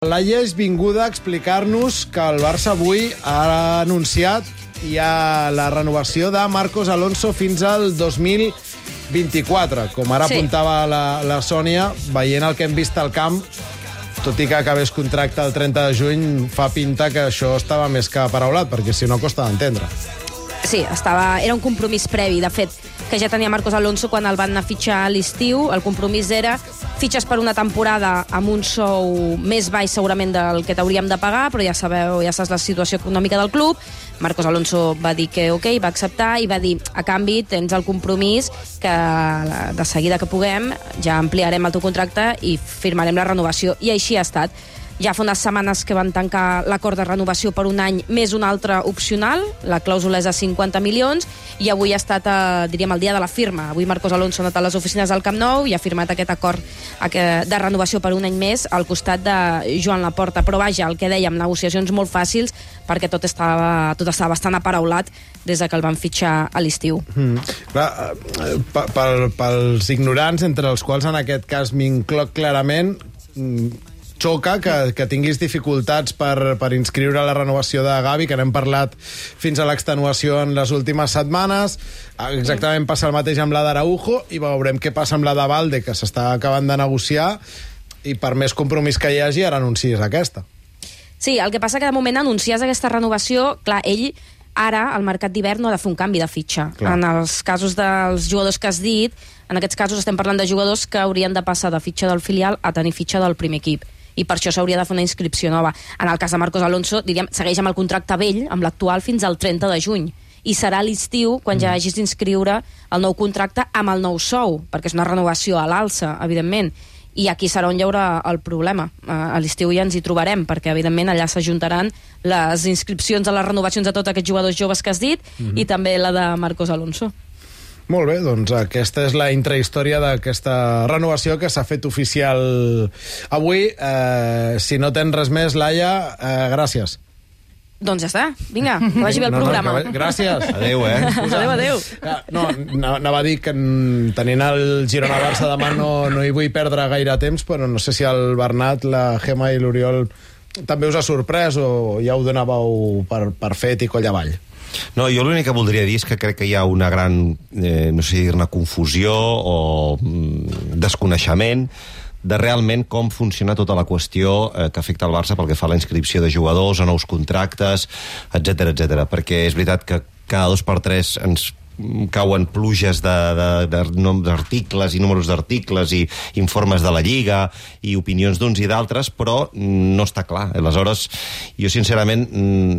Laia és vinguda a explicar-nos que el Barça avui ha anunciat ja la renovació de Marcos Alonso fins al 2024. Com ara apuntava la Sònia, veient el que hem vist al camp, tot i que acabés contracte el 30 de juny, fa pinta que això estava més que paraulat, perquè si no costa d'entendre. Sí, era un compromís previ, de fet, que ja tenia Marcos Alonso quan el van anar a fitxar a l'estiu. El compromís era fitxes per una temporada amb un sou més baix segurament del que t'hauríem de pagar, però ja sabeu, ja saps la situació econòmica del club. Marcos Alonso va dir que ok, va acceptar i va dir, a canvi tens el compromís que de seguida que puguem ja ampliarem el teu contracte i firmarem la renovació. I així ha estat. Ja fa unes setmanes que van tancar l'acord de renovació per un any més un altre opcional, la clàusula és de 50 milions, i avui ha estat, diríem, el dia de la firma. Avui Marcos Alonso ha anat a les oficines del Camp Nou i ha firmat aquest acord de renovació per un any més al costat de Joan Laporta. Però vaja, el que dèiem, negociacions molt fàcils perquè tot estava bastant aparaulat des que el van fitxar a l'estiu. Pels ignorants, entre els quals en aquest cas m'incloc clarament, xoca que tinguis dificultats per inscriure la renovació de Gavi, que n'hem parlat fins a l'extenuació en les últimes setmanes. Exactament passa el mateix amb la d'Araujo i veurem què passa amb la de Valde, que s'està acabant de negociar, i per més compromís que hi hagi, ara anuncies aquesta. Sí, el que passa que de moment anuncies aquesta renovació, clar, ell ara, al mercat d'hivern, no ha de fer un canvi de fitxa. Clar. En els casos dels jugadors que has dit, en aquests casos estem parlant de jugadors que haurien de passar de fitxa del filial a tenir fitxa del primer equip. I per això s'hauria de fer una inscripció nova. En el cas de Marcos Alonso, diríem, segueix amb el contracte vell, amb l'actual, fins al 30 de juny. I serà a l'estiu quan ja hagis d'inscriure el nou contracte amb el nou sou, perquè és una renovació a l'alça, evidentment. I aquí serà on hi haurà el problema. A l'estiu ja ens hi trobarem, perquè, evidentment, allà s'ajuntaran les inscripcions a les renovacions de tots aquests jugadors joves que has dit i també la de Marcos Alonso. Molt bé, doncs aquesta és la intrahistòria d'aquesta renovació que s'ha fet oficial avui. Si no tens res més, Laia, gràcies. Doncs ja està, vinga, que vagi bé el programa. Gràcies. Adéu, Adéu. No, anava a dir que tenint el Girona-Barça demà no hi vull perdre gaire temps, però no sé si el Bernat, la Gemma i l'Oriol també us ha sorprès o ja ho donàveu per fet i coll avall. No, jo l'únic que voldria dir és que crec que hi ha una gran, no sé dir-ne, confusió o desconeixement de realment com funciona tota la qüestió que afecta el Barça pel que fa a la inscripció de jugadors, a nous contractes, etc. Perquè és veritat que cada 2 per 3 ens cauen pluges d'articles i números d'articles i informes de la Lliga i opinions d'uns i d'altres, però no està clar. Aleshores, jo sincerament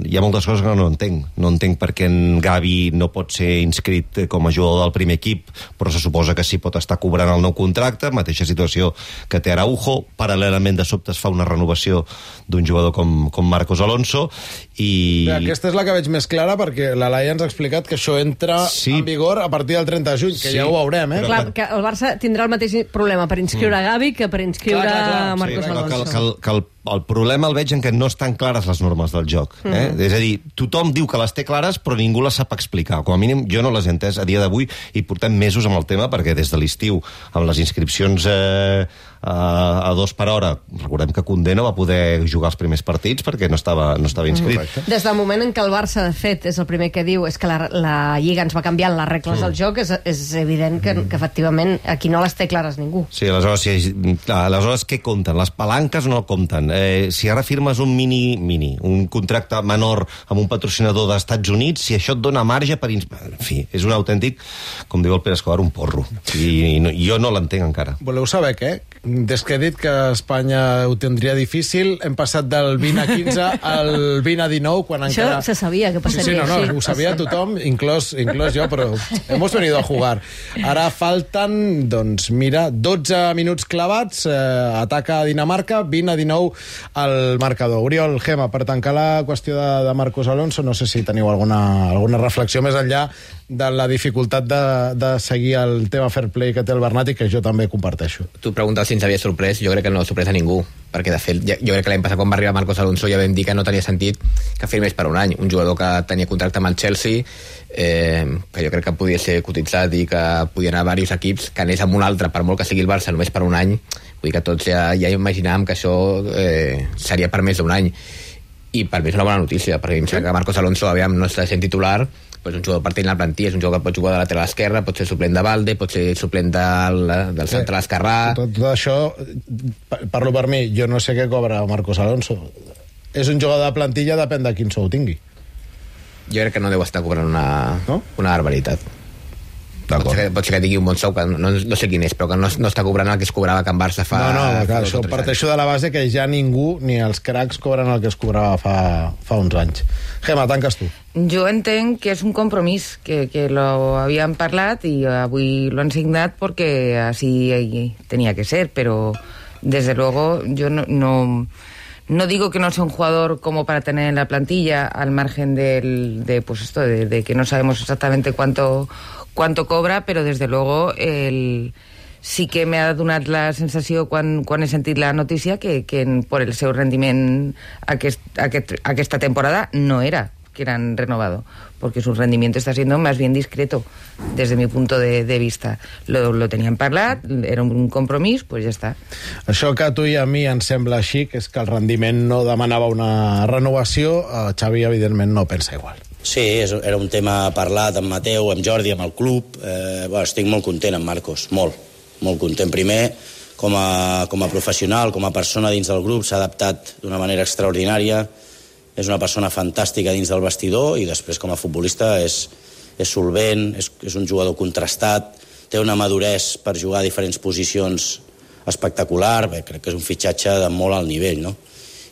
hi ha moltes coses que no entenc. No entenc per què en Gavi no pot ser inscrit com a jugador del primer equip, però se suposa que sí pot estar cobrant el nou contracte, mateixa situació que té Araujo. Paral·lelament, de sobte es fa una renovació d'un jugador com Marcos Alonso i... Aquesta és la que veig més clara, perquè la Laia ens ha explicat que això entra en vigor a partir del 30 de juny, que ja ho veurem, eh? Clar, que el Barça tindrà el mateix problema per inscriure Gavi que per inscriure Marcos Alonso. El problema el veig en que no estan clares les normes del joc. És a dir, tothom diu que les té clares, però ningú les sap explicar. Com a mínim, jo no les he entès a dia d'avui i portem mesos amb el tema, perquè des de l'estiu, amb les inscripcions a 2 per hora, recordem que Koundé no va poder jugar els primers partits perquè no estava inscrit. Des del moment en què el Barça, de fet, és el primer que diu és que la Lliga ens va canviant les regles del joc, és evident que efectivament aquí no les té clares ningú. Sí, aleshores què compten? Les palanques no compten. Si ara firmes un un contracte menor amb un patrocinador dels Estats Units, si això et dona marge per... En fi, és un autèntic, com diu el Pere Escobar, un porro. I jo no l'entenc encara. Voleu saber què? Des que he dit que Espanya ho tindria difícil, hem passat del 20 a 15 al 20 a 19, quan encara... Això se sabia que passaria així. Ho sabia tothom, inclòs jo, però hemos venido a jugar. Ara falten, doncs, mira, 12 minuts clavats, ataca Dinamarca, 20 a 19 al marcador. Oriol, Gemma, per tancar la qüestió de Marcos Alonso, no sé si teniu alguna reflexió més enllà de la dificultat de seguir el tema fair play que té el Bernat i que jo també comparteixo. Tu preguntes si ens havia sorprès, jo crec que no ha sorprès a ningú, perquè de fet jo crec que l'any passat quan va arribar Marcos Alonso ja vam dir que no tenia sentit firmés per un any. Un jugador que tenia contracte amb el Chelsea, que jo crec que podia ser cotitzat i que podia anar a diversos equips, que anés amb un altre, per molt que sigui el Barça, només per un any. Vull dir que tots ja imaginàvem que això seria per més d'un any. I per mi és una bona notícia, perquè em sembla que Marcos Alonso no està sent titular, pues un jugador partint la plantilla, és un jugador que pot jugar de lateral esquerre, pot ser suplent de Balde, pot ser suplent del central esquerrà. Tot això, parlo per mi, jo no sé què cobra Marcos Alonso. És un jugador de plantilla, depèn de quin sou tingui. Jo crec que no deu estar cobrant una barbaritat. Pot ser que tingui un bon sou, que no sé quin és, però que no està cobrant el que es cobrava a Can Barça fa... Clar, això parteixo de la base que ja ningú, ni els cracs, cobren el que es cobrava fa uns anys. Gemma, tanques tu. Jo entenc que és un compromís, que lo habían parlat y avui lo han signat porque así tenía que ser, pero desde luego yo no digo que no sea un jugador como para tener en la plantilla, al margen de que no sabemos exactamente cuánto cobra, però desde luego sí que m'ha donat la sensació quan he sentit la notícia que por el seu rendiment aquesta temporada no era que eran renovado, porque su rendimiento está siendo más bien discreto desde mi punto de vista. Lo tenían parlat, era un compromís, pues ja està. Això que a tu i a mi ens sembla així, que és que el rendiment no demanava una renovació, Xavi evidentment no pensa igual. Sí, era un tema parlat amb Mateu, amb Jordi, amb el club. Estic molt content amb Marcos, molt content. Primer, com a professional, com a persona dins del grup, s'ha adaptat d'una manera extraordinària, és una persona fantàstica dins del vestidor, i després com a futbolista és solvent, és un jugador contrastat, té una maduresa per jugar a diferents posicions espectacular. Crec que és un fitxatge de molt alt nivell, no?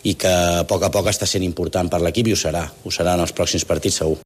I que a poc està sent important per l'equip, i ho serà en els pròxims partits segur.